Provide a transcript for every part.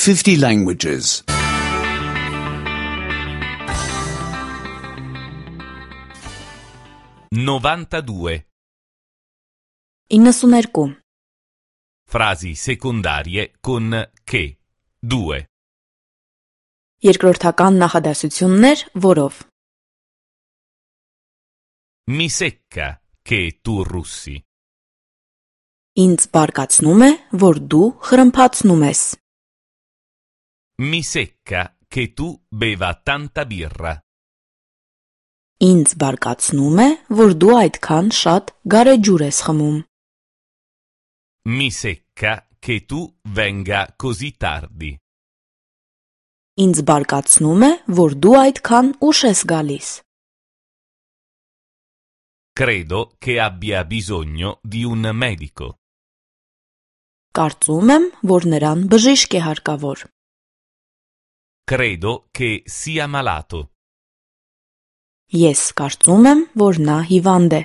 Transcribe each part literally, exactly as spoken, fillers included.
fifty languages. novantadue. իննսուներկու Frasi secondarie con che. due. Երկրորդական նախադասություններ, որով Mi secca che tu russi. Ինձ բարկացնում է, որ դու խրմփացնում ես։ Mi secca che tu beva tanta birra. Ինձ բարկացնում է, որ դու այդքան շատ գարեջուր ես խմում։ Mi secca che tu venga così tardi. Ինձ բարկացնում է, որ դու այդքան ուշ ես գալիս։ Credo che abbia bisogno di un medico. Կարծում եմ, որ նրան բժիշկ է հարկավոր։ Credo che sia malato. Ես կարծում եմ, որ նա հիվանդ է։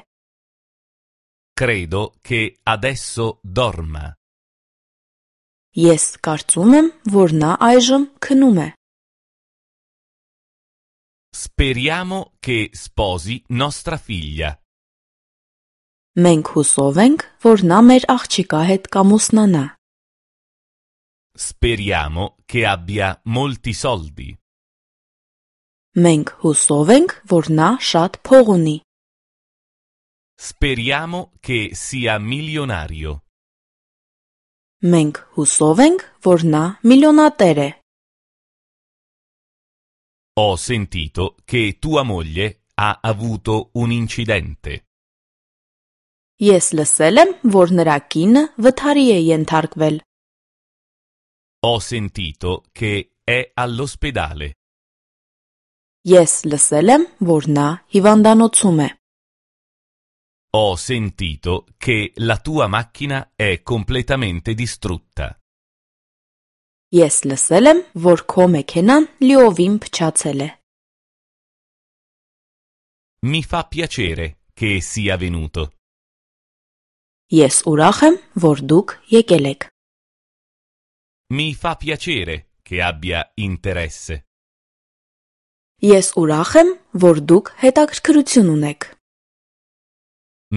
Credo che adesso dorma. Ես կարծում եմ, որ նա այժմ քնում է։ Speriamo che sposi nostra figlia. Մենք հուսով ենք, որ նա մեր աղջիկա հետ կամուսնանա։ Speriamo che abbia molti soldi. Մենք հուսով ենք, որ նա շատ փող ունի։ Speriamo che sia milionario. Մենք հուսով ենք, որ նա միլիոնատեր է։ Ho sentito che tua moglie ha avuto un incidente. Ես լսել եմ, որ նրա կինը վթարի է ենթարկվել։ Ho sentito che è all'ospedale. Ես լսել եմ, որ նա հիվանդանոցում է։ Ho sentito che la tua macchina è completamente distrutta. Ես լսել եմ, որ քո մեքենան լիովին փչացել է։ Mi fa piacere che sia venuto. Ես ուրախ եմ, որ դուք եկել եք։ Mi fa piacere che abbia interesse. Ես ուրախ եմ, որ դուք հետաքրքրություն ունեք։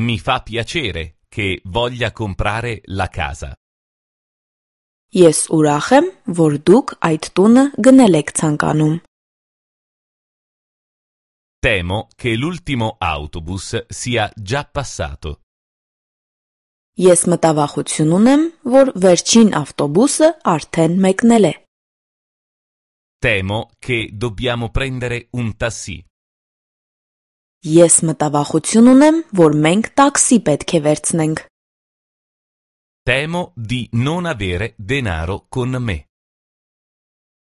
Mi fa piacere che voglia comprare la casa. Ես ուրախ եմ, որ դուք այդ տունը գնել եք ցանկանում։ Temo che l'ultimo autobus sia già passato. Ես մտավախություն ունեմ, որ վերջին ավտոբուսը արդեն մեկնել է։ Temo che dobbiamo prendere un taxi. Ես մտավախություն ունեմ, որ մենք տաքսի պետք է վերցնենք։ Temo di non avere denaro con me.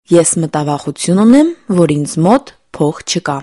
Ես մտավախություն ունեմ, որ ինձ մոտ փող չկա։